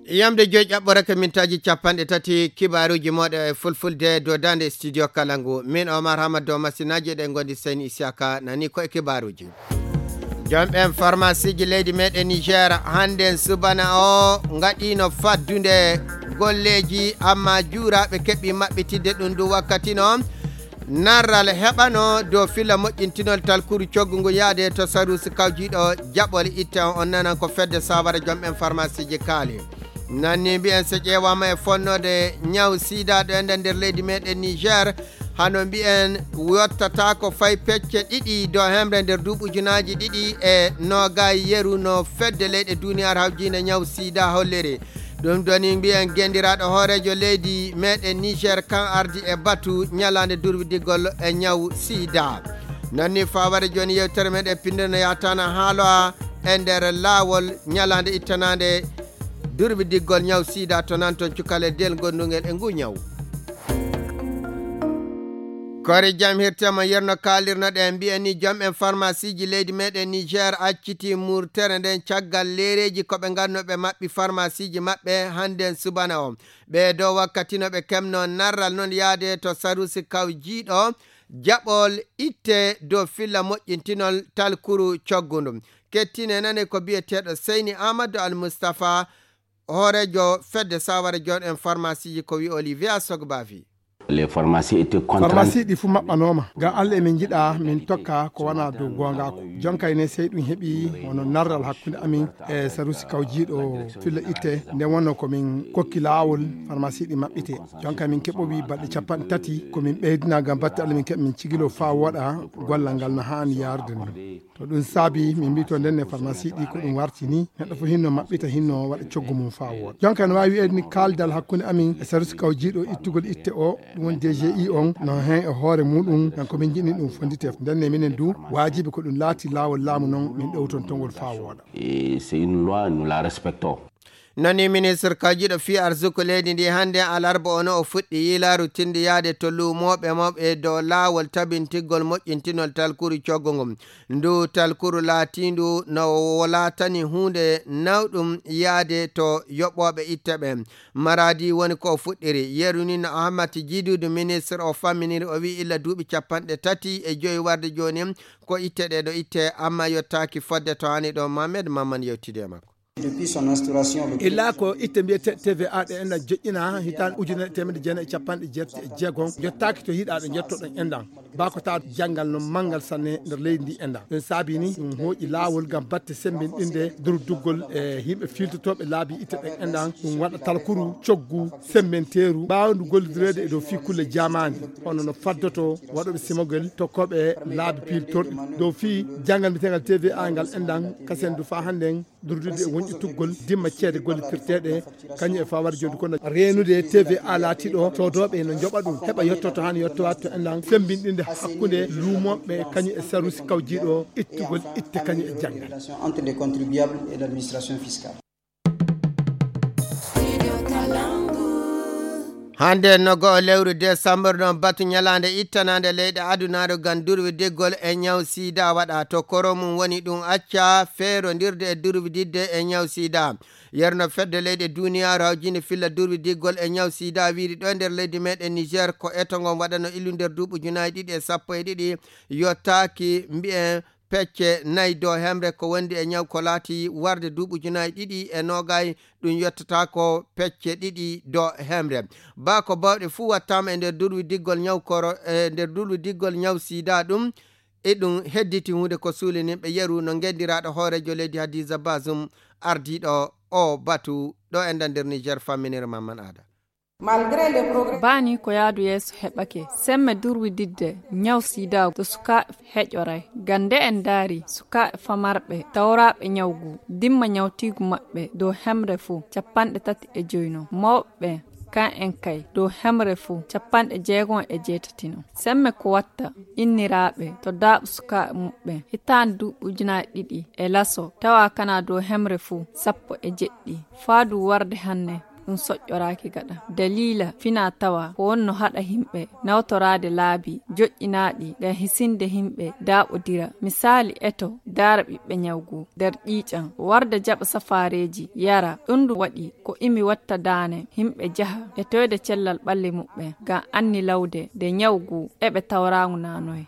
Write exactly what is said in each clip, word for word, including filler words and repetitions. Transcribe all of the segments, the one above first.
Yamde joyi ƴaɓɓore ko mintaaji capanɗe tati kibaaruuji mooɗo e fulfulde dow daande studio kala ngu. Min Omar Hamad dow masinaaji eɗen ngondi Seyni Isiyaka nani ko e kibaaruuji. Joom ɓen farmasiiji leydi meɗen Niger hannden subana o ngaɗiino faddunde golleeji, amma juuraaɓe keɓi maɓɓitidde ɗum ndu wakkati noon. Narral heɓano dow filla moƴƴintinol talkuru coggu ngu yaade to sarusi kawjiiɗo jaɓol itte on, on nanan ko fedde sawara joom ɓen farmasiiji kaali. Nanni mbiyen so ƴeewaama e fonnode ñaw sida ɗo enɗen nder leydi meɗen Niger, hano mbiyen yottata ko fay pecce ɗiɗi dow hemre nder duuɓi ujunaaji ɗiɗi e noogay yeru no fedde leyɗe duniyaaru hawjiinde ñaw sida holliri. Ɗum ɗoni mbiyen gendiraaɗo hooreejo leydi meɗen Niger kan ardi e batu ñalaande durwidigol e ñaw sida. Nanni faware jooni yewtere meɗen pinde no yaatana haaloa e nder laawol ñalaande ittanaande durwidigol ñaw sida to nan ton cukale del gondungel e ngu ñaw. Kore jam hirtema yerno kaalirno ɗe mbiyen ni joom en farmasiiji leydi meɗen Niger acciti murtere nden caggal leereeji ko ɓe nganno ɓe maɓɓi farmasiiji maɓɓe hannden subana o. Ɓe dow wakkati no ɓe kemno narral non yaade to sarusi kawjiiɗo jaɓol itte dow filla moƴƴintinol talkuru coggundu. Kettine nane ko biyeteeɗo Seyni Amadou Al Mustafa, hooreejo fedde sawara joon en farmasiiji ko wi Olivia Sogbavi. Les pharmacies étaient contraintes. Farmasi ɗi fuu maɓɓanooma. Ngam Allah emin njiɗa min tokka ko wona dow goongaaku. Jonka ene sey ɗum heɓi wano narral hakkunde amin e sarusi kawjiiɗo filla itte. Nden wonno ko min kokki laawol farmasi ɗi maɓɓite. Jonka min keɓowi balɗe capanɗe tati ko min ɓeydina ngam batte Allah min keɓa min cigilo faa wooɗa gollal ngal no haani yaarude ni. To ɗum saabi min mbiyi to ndenne farmasi ɗi ko ɗum warti ni, neɗɗo fof hinno maɓɓita, hinno waɗa coggu mum faa wooɗa. Jonka no waawi wiyeede ni kaaldal hakkunde amin e sarusi kawjiiɗo ittugol itte o, ɗum woni D G I on, no heen e hoore muɗum, kanko min njiɗni ɗum fonndite. Ndenne minen du waajibi ko ɗum laati laawol laamu non min ɗowtontongol faa wooɗa. Et c'est une loi, nous la respectons. Nani ministre kawjiiɗo fii arsuku leydi ndi hannde alarba ono o fuɗɗi yiilaaru tindi yaade to luumooɓe mawɓe dow laawol tabintigol moƴƴintinol talkuru coggu ngu. Ndu talkuru laatiindu no laatani huunde nawɗum yaade to yoɓooɓe itte ɓe. Maradi woni ko o fuɗɗiri. Yeru ni no Ahmad Jidudu ministre o famminiri o wi'i illa duuɓi capanɗe tati e joyi warde jooni ko itte ɗe ɗo itte amma yottaaki fodde to hani ɗo Mohamed Mamman yewtidi e makko. Illa ko itte mbiyete T V A ɗe enɗan joƴƴina hitaan ujunere teemedde jeenayi e capanɗe jeetati e jeegom, jottaaki to yiɗaaɓe njottoɗon enɗan. Baa ko taa janngal no manngal sanne nder leydi ndi enɗan. Ɗum saabi ni ɗum hooƴi laawol ngam batte semmbinɗinde durduggol e yimɓe fiiltotooɓe laabi itte ɗen enɗan. Ɗum waɗa talkuru coggu semmbenteeru ɓaawndu gollidireede e dow fii kulle jaamaandi, hono no faddoto waɗooɓe simogel tokkooɓe laabi piiltorɗi. Dow fii janngal mbiyeteengal T V A ngal enɗan kasen du faa hannden durdude e wonƴituggol dimma ceede gollitirteeɗe, kañum e fawar jooɗi kono reenude T V A laatiiɗo soodooɓe no njoɓa ɗum, heɓa yottoto haa no yottowaade to enɗan, semmbinɗinde hakkunde luumooɓe kañum e sarusi kawjiiɗo ittugol itte kañum e janngal. Entre les contribuables et l'administration fiscale. Hannde no go'o lewru desambur ɗon batu ñalaande ittanaande leyɗe adunaaru ngam durwidiggol e ñaw sida waɗa. To koro mum woni ɗum acca feerondirde e durwididde e ñaw sida. Yerno fedde leyɗe duniyaaru hawjinde filla durwidiggol e ñaw sida wiiri ɗo e nder leydi meɗen Niger ko eto ngon waɗano illu nder duuɓi ujunaaji ɗiɗi e sappo e ɗiɗi yottaaki mbi'en pecce nayi dow hemre ko wondi e ñaw ko laati warde duuɓi ujunaaji ɗiɗi e noogay, ɗum yottata ko pecce ɗiɗi dow hemre. Baa ko bawɗe fuu wattaama e nder durwidiggol ñaw koro, e nder durwidiggol ñaw sida ɗum, e ɗum hedditi huunde ko suulininɓe yeru no ngenndiraaɗo hooreejo leydi Hadiza Bazum ardiiɗo o batu ɗo enɗan nder Niger famminire Mamman Aada. Baa ni ko yaadu yeeso heɓake. Semme durwididde ñaw sida to sukaaɓe heƴoray. Ngam nde en ndaari sukaaɓe famarɓe tawraaɓe ñaw ngu, dimma ñawtiigu maɓɓe dow hemre fuu capanɗe tati e joy no. Mawɓe ɓen, kan en kay, dow hemre fuu capanɗe jeegom e jeetati no. Semme ko watta inniraaɓe to daaɓu sukaaɓe muɓɓen hitaande duuɓi ujunaaji ɗiɗi e laso tawa kana dow hemre fuu sappo e jeɗɗi. Faa du warde hanne, ɗum soƴƴoraaki gaɗa. Daliila fina tawa ko wonno haɗa yimɓe nawtoraade laabi joƴƴinaaɗi ngam hisinde yimɓe daaɓodira. Misaali eto daara ɓiɓɓe ñawgu nder ƴiiƴam, warda jaɓa safaareeji yara. Ɗum ndu waɗi ko imi watta daane yimɓe jaha e toyde cellal ɓalli muɓɓe ngam anni lawde nde ñawgu eɓe tawraangu nanoye.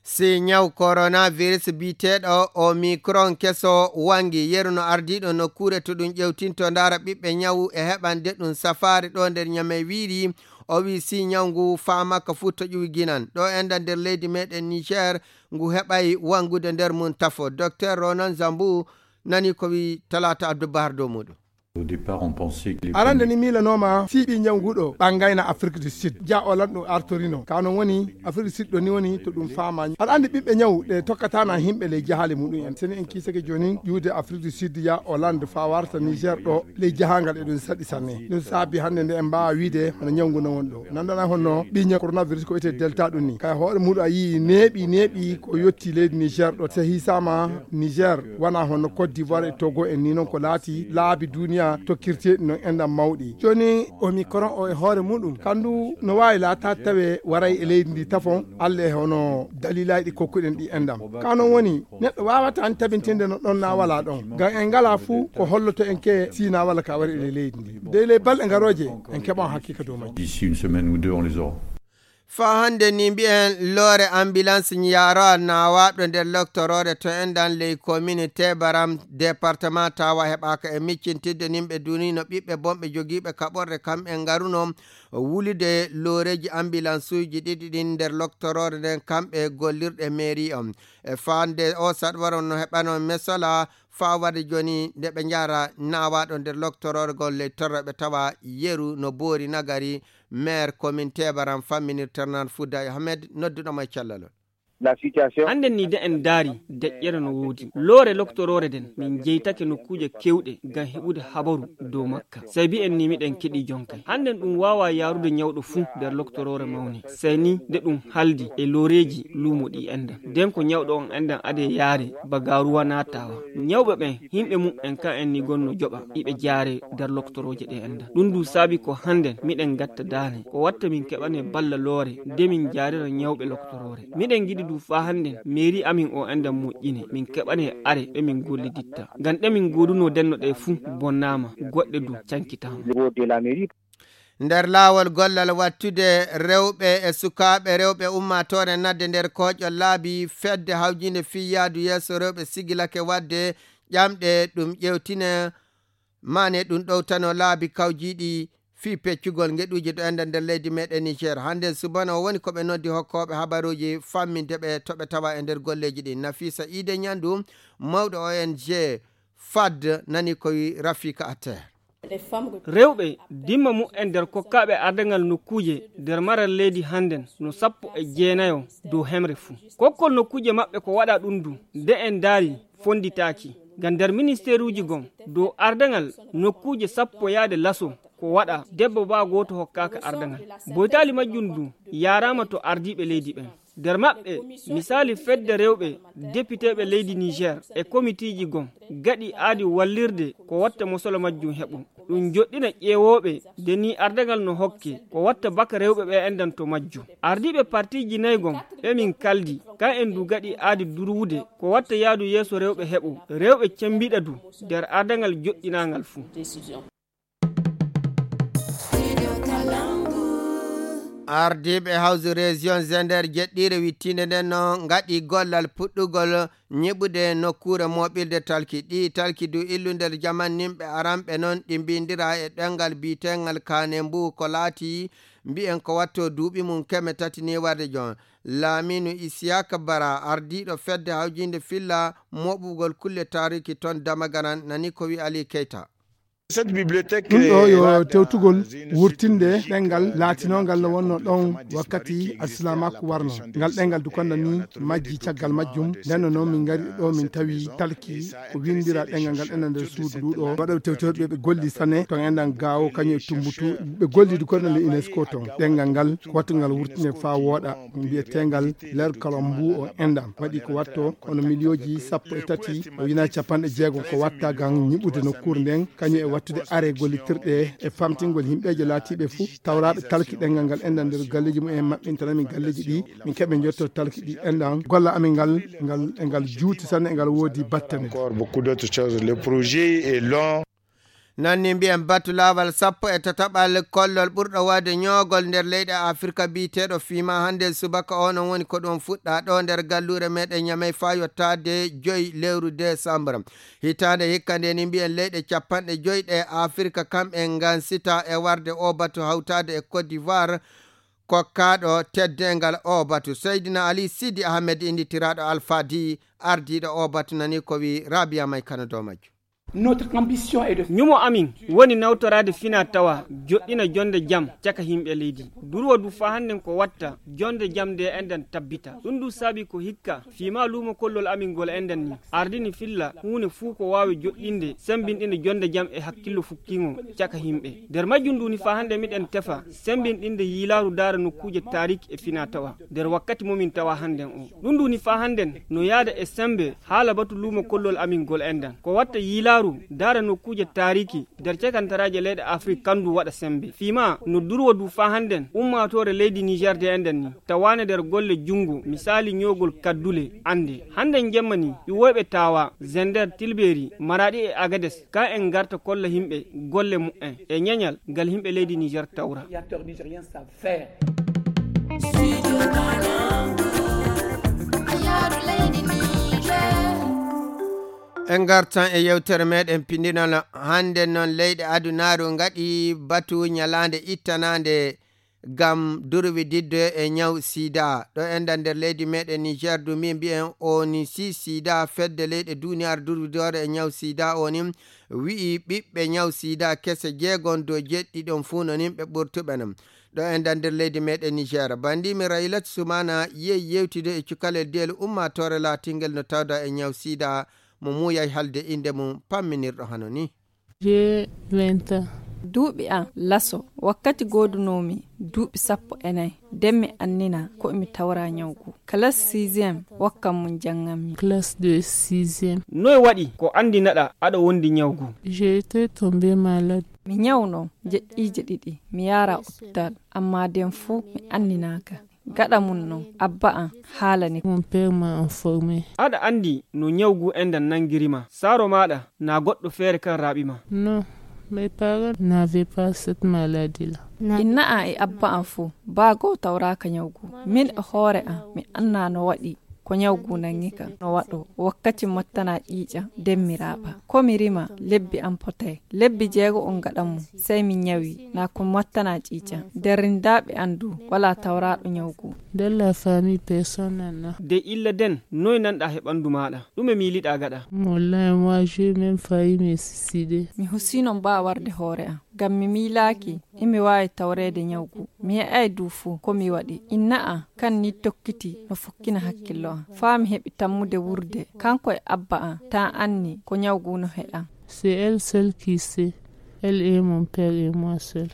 Si ñaw coronavirus biyeteeɗo Omicron keso wangi, yeru no ardiiɗo nokkuure to ɗum ƴewtinto ndaara ɓiɓɓe ñawu e heɓande ɗum safaare ɗo nder Ñamey wiiri. O wii si ñaw ngu faamaaka fuu to ƴuwi ginan ɗo enda nder leydi meɗen Niger, ngu heɓay wangude nder mum tafo. Docteur Ronan Zambu nani ko wii Talaata Abdou Bahar dow muɗum. Arande ni miilanooma fii ɓii ñaw nguɗo ɓangayna Afrique du Sud ja Hollande ɗum artorino ka non woni Afrique du Sud ɗo ni woni to ɗum faama. Aɗa andi ɓiɓɓe ñaw ɗe tokkatana himɓe ley jahaale muɗum en seni en kiisake jooni ƴuude Afrique du Sud ya Hollande fa warta Niger ɗo ley jahangal e ɗum saɗi sanne. Ɗum saabi hannde nde en mbaawa wiide hono ñaw ngu non woni ɗo nandana honno ɓii ñaw coronavirus ko wiyetee delta ɗum ni kay hoore muɗum a yii neeɓi neeɓi ko yotti leydi Niger ɗo sehi sama Niger wona hono Côte d'Ivoire e Togo en ni non ko laati laabi duniya tokkirteeɗi non enɗam mawɗi. Jooni Omicron o e hoore muɗum kandu no waawi laataade tawe waray e leydi ndi tafon alle e hono daliilaaji ɗi kokkuɗen ɗi enɗam. Ka non woni neɗɗo waawata an tabintinde no ɗon na wala ɗon. Ngam en ngala fuu ko holloto en ke si na wala ka wari e leydi ndi. Dey ley balɗe ngarooje en keɓan hakkika dow majji. Faa hannde ni mbiyen loore ambulance ñaarowa naawaaɗo nder loktoroore to enɗan ley komini Tebaram departement Tawa heɓaaka e miccintidde nimɓe dunino ɓiɓɓe bonɓe jogiiɓe kaɓorɗe kamɓe ngaruno wulude looreeji ambulansuuji ɗiɗi ɗin nder loktoroore nden kamɓe gollirɗe mairie on. E faande o saɗwaro no heɓano mesola faa warde jooni nde ɓe njara naawaaɗo nder loktoroore gol ley torra ɓe tawa yeru no boori nagari. Maire commune Tebaram famminir Ternan Fouda Ahmed nodduɗomo e cellal on. Hannden nii de en ndaari deƴƴere no woodi loore loktoroore nden min jeytake nokkuuje keewɗe ngam heɓude habaru dow makka. Sey mbi'en nii miɗen keɗii jonkay hannden ɗum waawaa yaarude ñawɗo fuu nder loktoroore mawne sey nii nde ɗum haldi e looreeji luumo ɗi enɗan nden ko ñawɗo on enɗan adee yaare ba gaaruwa naatawa. Ñawɓe ɓen yimɓe muɓɓen kan en nii gonno joɓa iɓe jaare nder loktorooje ɗe enɗan ɗum du saabi ko hannden miɗen ngatta daane ko watta min keɓane balla loore nde min jaarira ñawɓe loktoroore. Miɗen ngiɗi du faa hannden meeri amin o enɗan moƴƴine min keɓane are ɗe min golliditta ngam ɗe min goodunoo denno ɗe fuu bonnaama goɗɗe du cankitaama. Nder laawol gollal wattude rewɓe e sukaaɓe rewɓe ummaatoore nadde nder kooƴol laabi fedde hawjiinde fii yaadu yeeso rewɓe sigilake waɗde ƴamɗe ɗum ƴeewtine maane ɗum ɗowtano laabi kawjiiɗi fii peccugol ngeɗuuji ɗo enda nder leydi meɗen Niger. Hannden subana o woni ko ɓe noddi hokkooɓe habaruuji famminde ɓe to ɓe tawa e nder golleeji ɗin. Nafisa Iide Ñandu, mawɗo O N G fad nani ko wi Rafika Atter. Rewɓe dimma mu'en nder kokkaaɓe ardangal nokkuuje nder maral leydi hannden no sappo e jeenayo dow hemre fuu. Kokkol nokkuuje maɓɓe ko waɗa ɗum du nde en ndaari fonnditaaki ngam nder ministeeruuji gom dow ardangal nokkuuje sappo yaade laso ko waɗa debbo baa gooto hokkaaka ardangal. Boytaali majjum du yaaraama to ardiiɓe leydi ɓen. Nder maɓɓe misaali fedde rewɓe depiteeɓe leydi Niger e komitiiji gom gaɗi aadi wallirde ko watta mosolo majjum heɓu ɗum joɗɗina ƴeewooɓe nde nii ardagal no hokke ko watta baka rewɓe ɓe enɗan to majjum. Ardiiɓe partiiji nay gom ɓe min kaldi kan en du gaɗi aadi durwude ko watta yaadu yeeso rewɓe heɓu rewɓe cembiɗa du nder ardagal joɗɗinaangal fuu. Ardiiɓe hawsu région Zender jeɗɗiire wittiinde nden no ngaɗi gollal puɗɗugol ñiɓude nokkuure mooɓirde talki. Ɗii talki du illu nder jaman nimɓe aranɓe non ɗi mbindiraa e ɗemngal biyetengal Kanembu ko laati mbiyen ko watto duuɓi mum keme tati ni warde jon. Laaminu Isiyaka Bara ardiiɗo fedde hawjiinde filla mooɓugol kulle taariki ton Damagaran nani ko wi Ali Keyta. Ɗum ɗo yo tewtugol wurtinde ɗemngal laatinongal no wonno ɗon wakkati alsilaamaaku warno. Ngal ɗemngal du konda ni majji caggal majjum. Nden no noon min ngari ɗo min tawi talki ko winndira ɗemngal ngal ena nder suudu ndu ɗo waɗoɓe tewtewɓe ɓe golli sane ton enɗan gaawo kañum e tumbutu ɓe golli du konda le UNESCO ton ɗemngal ngal ko wattu ngal wurtinde faa wooɗa mbiyetengal ler kalambu o enɗan waɗi ko watto kono miliyooji sappo e tati o wina capanɗe jeego ko watta ngam ñiɓude nokkuure nden kañum e Wattude are gollitirɗe e famtingol yimɓeeje laatiiɓe fuu tawraaɓe talki ɗenngal ngal enɗan nder galleeji mum en maɓɓintan amin galleeji ɗi, min keɓe njotto talki ɗi enɗan golla amin ngal, ngal e ngal juuti sanne e ngal woodi battane. Encore beaucoup d'autres choses. Le projet est long. Noon ni mbiyen batu laawal sappo e tataɓal kollol ɓurɗo waɗde ñoogol nder leyɗe Afirka biyeteeɗo fiima hannde subaka o, noon woni ko ɗum fuɗɗa ɗo nder galluure meɗen Ñamey faa yottaade joy lewru desambur. Hitaande hikka nde ni mbiyen leyɗe capanɗe joy ɗe Afirka kamɓe ngansita e warde o batu hawtaade e Côte d'Ivoire kokkaaɗo teddeengal o batu. Seydina Ali Sidi Ahmed innditiraaɗo Alfadi ardiiɗo o batu nani ko wi Rabia May Kano dow majjum. Ñumo amin woni nawtoraade fina tawa joɗɗina jonde jam caka yimɓe leydi. Durwa du faa hannden ko watta jonde jam nde enɗan tabbita. Ɗum du saabi ko hikka fiima luumo kollol amin ngol enɗan ni ardini filla huune fuu ko waawi joɗɗinde sembinɗinde jonde jam e hakkillo fukkiŋo caka yimɓe. Nder majjum du ni faa hannden miɗen tefa sembinɗinde yiilaaru daara nokkuuje taariki e fina tawa nder wakkati momin tawa hannden o. Ɗum du ni faa hannden no yaada e sembe haala batu luumo kollol amin ngol enɗan. Ko watta yiilaaru daara nokkuuje taariki nder cekantaraaje leyɗe Afrik kandu waɗa sembe. Fiima no durwa du faa hannden ummaatoore leydi Niger de enɗan ni tawaane nder golle junngo, misaali ñoogol kaddule annde. Hannden jemma ni iwoyɓe Tawa, Zender, Tilberi, Maraɗi e Agades, ka en ngarta kolla yimɓe golle mu'en e ñeñal ngal yimɓe leydi Niger tawra. En ngartan e yewtere meɗen pindinal. Hannde noon leyɗe adunaaru ngaɗi batu ñalaande ittanaande ngam durwididde e ñaw sida. Ɗo enɗan nder leydi meɗen Niger du min mbiyen o ni si sida fedde leyɗe duniyaaru durwidoore e ñaw sida o ni wi'i ɓiɓɓe ñaw sida kese jeegon dow jeɗɗi ɗon fuu no nin ɓe ɓurtuɓe non. Ɗo enɗan nder leydi meɗen Niger, bandimi Raylat Sumana yehi yewtide e cukalel diyel ummaatoore laatingel no tawda e ñaw sida mo muuyay halde innde mum pamminirɗo hano ni. J'ai vingt ans. Duuɓi am laso, wakkati goodunoomi duuɓi sappo e nayi, nden mi annina ko mi tawra ñawgu. Classe sixième, wakkan mum jannganmi. Classe de sixième. Noy waɗi ko anndinaɗa aɗa wondi ñawgu? J'ai été tombé malade. Mi ñawno jeƴƴiije ɗiɗi, mi yaara hôpital, amma nden fuu mi anninaaka. Gaɗa mum non, abba am haalani. Mon père m'a informé. Aɗa anndi no ñawgu enɗan nanngiri ma? Saaro maaɗa naa goɗɗo feere kan raaɓi ma? Non, mes parents n'avaient pas cette maladie-là. Inna am e abba am fuu, baa goo tawraaka ñawgu. Min e hoore am, mi annaa no waɗi ko ñawgu nanngi kam. No waɗo wakkati mottana ƴiiƴam, nden mi raaɓa. Ko mi rima, lebbi am potay. Lebbi jeego on gaɗa mum, sey mi ñawi, naa ko mottana ƴiiƴam. Nder rindaaɓe am du, walaa tawraaɗo ñawgu. Dans la famille, personne n'en a. De illa den, noy nanɗa he ɓanndu maaɗa? Ɗume miiliɗa gaɗa? Wallahi, moi, j'ai même failli me suicider. Mi husino mbaa warde hoore am, ngam mi miilaaki imi waawi tawreede ñawgu. Mi heɓaay du fuu ko mi waɗi. Inna am kan ni tokkiti no fokkina hakkillo am. Faa mi heɓi tammude wurde, kanko e abba am, taa anni ko ñawgu no heƴam. C'est elle seule qui sait. Elle et mon père et moi seul.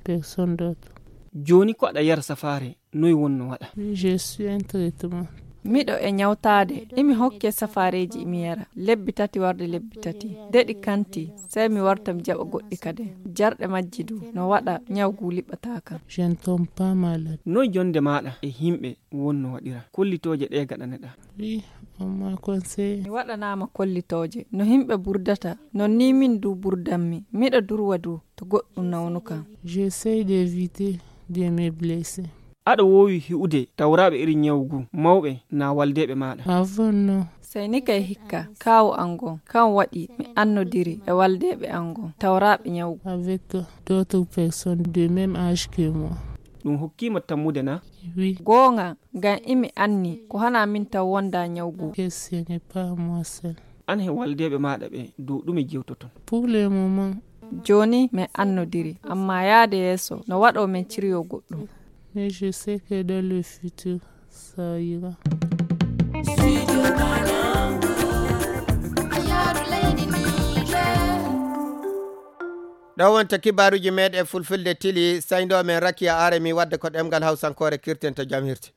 Personne d'autre. Jooni ko aɗa yara safaare, noy wonno waɗa? Oui, je suis un traitement. Miɗo e ñawtaade, imi hokke safaareeji imi yara. Lebbi tati warde lebbi tati. De ɗi kanti, sey mi warta mi jaɓa goɗɗi kadi. Jarɗe majji du, no waɗa ñawgu liɓɓataa kam. Je ne tombe pas malade. Noy jonde maaɗa e yimɓe wonno waɗira? Kollitooje ɗe gaɗaneɗa? Oui, on m'a conseillé. Mi waɗanaama kollitooje. No yimɓe burdata, non ni min du burdanmi. Miɗo durwa du, to goɗɗum nawnu kam. J'essaie d'éviter de me blesser. Aɗa woowi hi'ude tawraaɓe iri ñawgu mawɓe naa waldeeɓe maaɗa? Avant, non. Sey ni kay hikka, kaawu am ngon, kan waɗi mi annodiri e waldeeɓe am ngon, tawraaɓe ñawgu. Avec d'autres personnes de même âge que moi. Ɗum hokkii ma tammude naa? Oui. Goonga, ngam imi anni ko hanaa min taw wonda ñawgu. Que ce n'est pas moi seul. Aan he waldeeɓe maaɗa ɓe dow ɗume jewtoton? Pour le moment. Jooni min annodiri, amma yaade yeeso no waɗo min ciryo goɗɗum. Mais je sais que dans le futur, ça ira. Ɗo wonta kibaaruuji meeɗen fulfulde tili, sayndo men Rakiya Aremi wadde ko ɗemngal Hawsankoore, kirten to jam hirti.